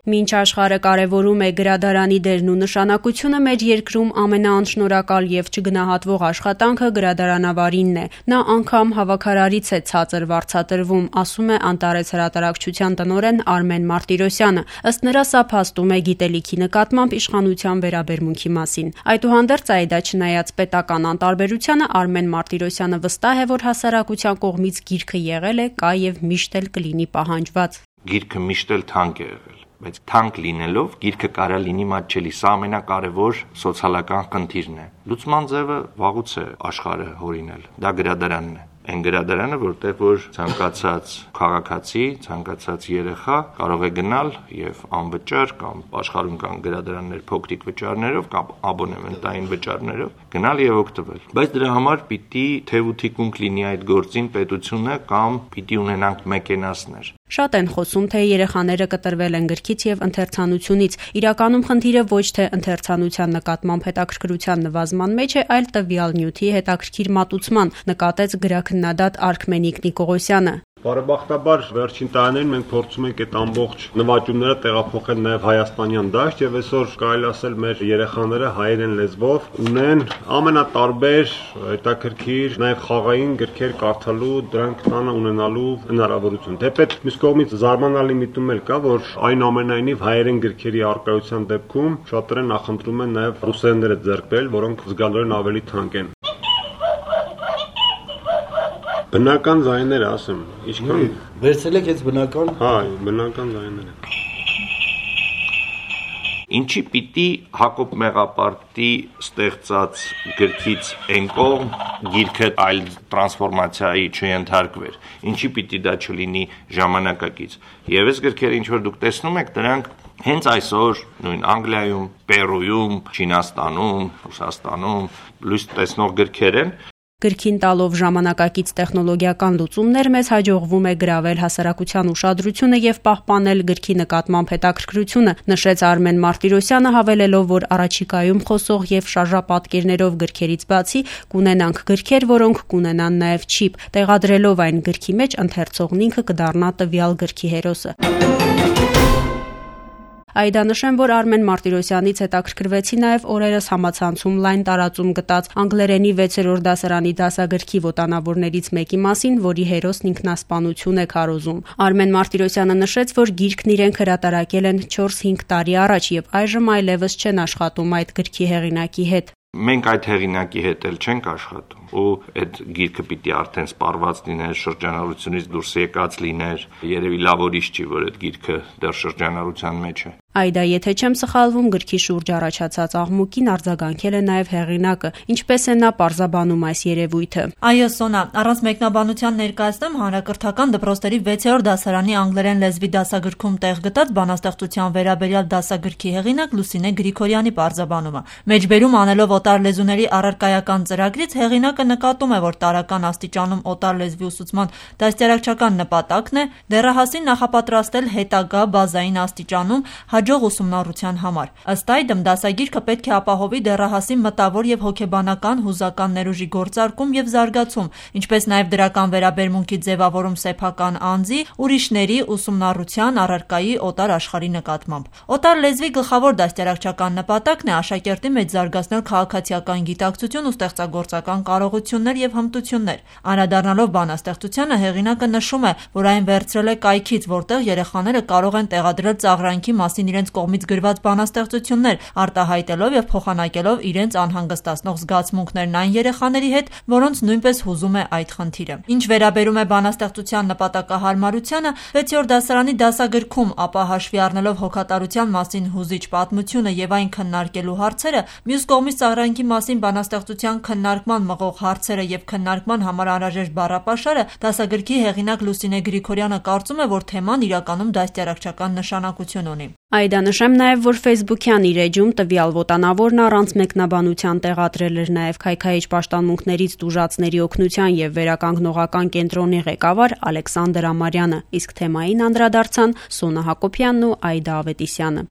Մինչ աշխարհը կարևորում է գրադարանի դերն ու նշանակությունը, մեր երկրում ամենաանշնորհակալ եւ չգնահատվող աշխատանքը գրադարանավարինն է։ Նա անգամ հավաքարարից է ցածր վարձատրվում, ասում է Անտարես հրատարակչության տնօրեն Արմեն Մարտիրոսյանը։ Ըստ նրա, սա փաստում է գիտելիքի նկատմամբ իշխանության վերաբերմունքի մասին։ Այդուհանդերձ, դա չնայած պետական անտարբերությանը, Արմեն Մարտիրոսյանը վստահ է, որ հասարակության կողմից գիրքը եղել է, կա եւ միշտ էլ կլինի պահանջված։ Գիրքը միշտ էլ թանկ է եղել, բայց թանկ լինելով գիրքը կարա լինի մատչելի, սա ամենակարևոր սոցիալական խնդիրն է։ Լուծման ձևը վաղուց է աշխարհը հորինել, դա գրադարանն է։ Այն գրադարանը, որտեղ որ ցանկացած քաղաքացի, ցանկացած երեխա կարող է գնալ եւ անվճար կամ աշխարհում կան գրադարաններ փոքրիկ վճարներով կամ աբոնեմենտային վճարներով գնալ եւ օգտվել։ Բայց դրա համար պիտի թեւութիկունք լինի այդ գործին պետությունը կամ պիտի ունենանք մեքենասներ։ Շատ են խոսում, թե երեխաները կտրվել են գրքից եւ ընթերցանությունից։ Իրականում խնդիրը ոչ թե ընթերցանության նկատմամբ հետաքրքրության նվազման մեջ է, այլ տվյալ նյութի հետաքրքիր մատուցման, նկատեց գրաքննադատ Արքմենիկ Նիկողոսյանը։ Բարեբախտաբար վերջին տարիներին մենք փորձում ենք այդ ամբողջ նվաճումները տեղափոխել նաև հայաստանյան դաշտ եւ այսօր կարելի ասել մեր երեխաները հայերեն լեզվով ունեն ամենատարբեր հետաքրքիր նաև խաղային գրքեր կարդալու, դրանք տանը ունենալու հնարավորություն։ Թեպետ մյուս կողմից զարմանալի միտում էլ կա, որ այնուամենայնիվ հայերեն գրքերի արկայության դեպքում շատերը նախընտրում են նաև ռուսերենները ձեռք բերել, որոնք զգալիորեն ավելի թանկ են։ Բնական ձայները ասեմ, ինչքան վերցրել եք այս բնական։ Հա, բնական ձայները։ Ինչի պիտի Հակոբ Մեղապարտի ստեղծած գրքից այն կողմ գիրքը այլ տրանսֆորմացիայի չընթարկվեր։ Ինչի պիտի դա չլինի ժամանակակից։ Եվ այս գրքերը ինչ որ դուք տեսնում եք, դրանք հենց այսօր նույն Անգլիայում, Պերույում, Չինաստանում, Ռուսաստանում լույս տեսնող գրքեր են։ Գրքին տալով ժամանակակից տեխնոլոգիական լուծումներ մեզ հաջողվում է գրավել հասարակության ուշադրությունը եւ պահպանել գրքի նկատմամբ հետաքրքրությունը, նշեց Արմեն Մարտիրոսյանը, հավելելով, որ առաջիկայում խոսող եւ շարժապատկերներով գրքերից բացի կունենանք գրքեր, որոնք կունենան նաեւ չիպ, տեղադրելով այն գրքի մեջ ընթերցողն ինքը կդառնա տվյալ գրքի հերոսը։ Նշեմ, որ Արմեն Մարտիրոսյանից հետաքրքրվեցի նաև օրերս համացանցում լայն տարածում գտած անգլերենի 6-րդ դասարանի դասագրքի ոտանավորներից մեկի մասին, որի հերոսն ինքնասպանություն է քարոզում։ Արմեն Մարտիրոսյանը նշեց, որ գիրքն իրենք հրատարակել են 4-5 տարի առաջ եւ այժմ այլևս չեն աշխատում այդ գրքի հեղինակի հետ։ Մենք այդ հեղինակի հետ էլ չենք աշխատում ու այդ գիրքը պիտի արդեն սպառված լիներ, շրջանառությունից դուրս եկած լիներ, երևի լավ ուրիշ չի, որ այդ գիրքը դեռ շրջանառության մեջ է։ Եթե չեմ սխալվում, գրքի շուրջ առաջացած աղմուկին արձագանքել է նաև հեղինակը, ինչպես է նա պարզաբանում այս երևույթը։ Այո, Սոնա, առանց մեկնաբանության ներկայացնեմ հանրակրթական դպրոցների 6-րդ դասարանի անգլերեն լեզվի դասագրքում տեղ գտած բանաստեղծության վերաբերյալ դասագրքի հեղինակ Լուսինե Գրիգորյանի պարզաբանումը։ Մեջբերում անելով օտար լեզուների առարկայական ծրագրից հեղինակը նկատում է, որ տարրական աստիճանում օտար լեզվի ուսուցման դաստիարակչական նպատակն է դեռահասին նախապատրաստել հետագա բազային աստիճանում հաջող ուսումնառության համար։ Ըստ այդմ դասագիրքը պետք է ապահովի դեռահասի մտավոր եւ հոգեբանական հուզական ներուժի գործարկում եւ զարգացում, ինչպես նաեւ դրական վերաբերմունքի ձևավորում սեփական անձի, ուրիշների ուսումնառության առարկայի օտար աշխարհի նկատմամբ։ Օտար լեզվի գլխավոր դաստիարակչական նպատակն է աշակերտի մեջ զարգացնել քաղաքացիական գիտակցություն ու ստեղծագործական կարողություններ եւ հմտություններ։ Անդրադառնալով բանաստեղծությանը, հեղինակը նշում է, որ այն վերցրել է կայքից, որտեղ երեխաները կարող են տեղադրել ծաղրանքի մասին իրենց կողմից գրված բանաստեղծություններ, արտահայտելով եւ փոխանակելով իրենց անհանգստացնող զգացմունքներն այն երեխաների հետ, որոնց նույնպես հուզում է այդ խնդիրը։ Ինչ վերաբերում է բանաստեղծության նպատակահարմարությանը, 6-րդ դասարանի դասագրքում, ապա հաշվի առնելով հոգատարության մասին հուզիչ պատմությունը եւ այն քննարկելու հարցերը, մյուս կողմից ծաղրանքի մասին բանաստեղծության քննարկման մղող հարցերը եւ քննարկման համար անհրաժեշտ բառապաշարը, դասագրքի հեղինակ Լուսինե Գրիգորյանը կարծում է, որ թեման իրականում դաստիարակչական նշանակություն ունի։ Նշեմ նաև, որ Facebook-յան իր էջում տվյալ ոտանավորն առանց մեկնաբանության տեղադրել էր նաև քայքայիչ պաշտամունքներից տուժածների օգնության եւ վերականգնողական կենտրոնի ղեկավար Ալեքսանդր Ամարյանը, իսկ թեմային անդրադարձան Սոնա Հակոբյանն ու Այդա Ավետիսյանը։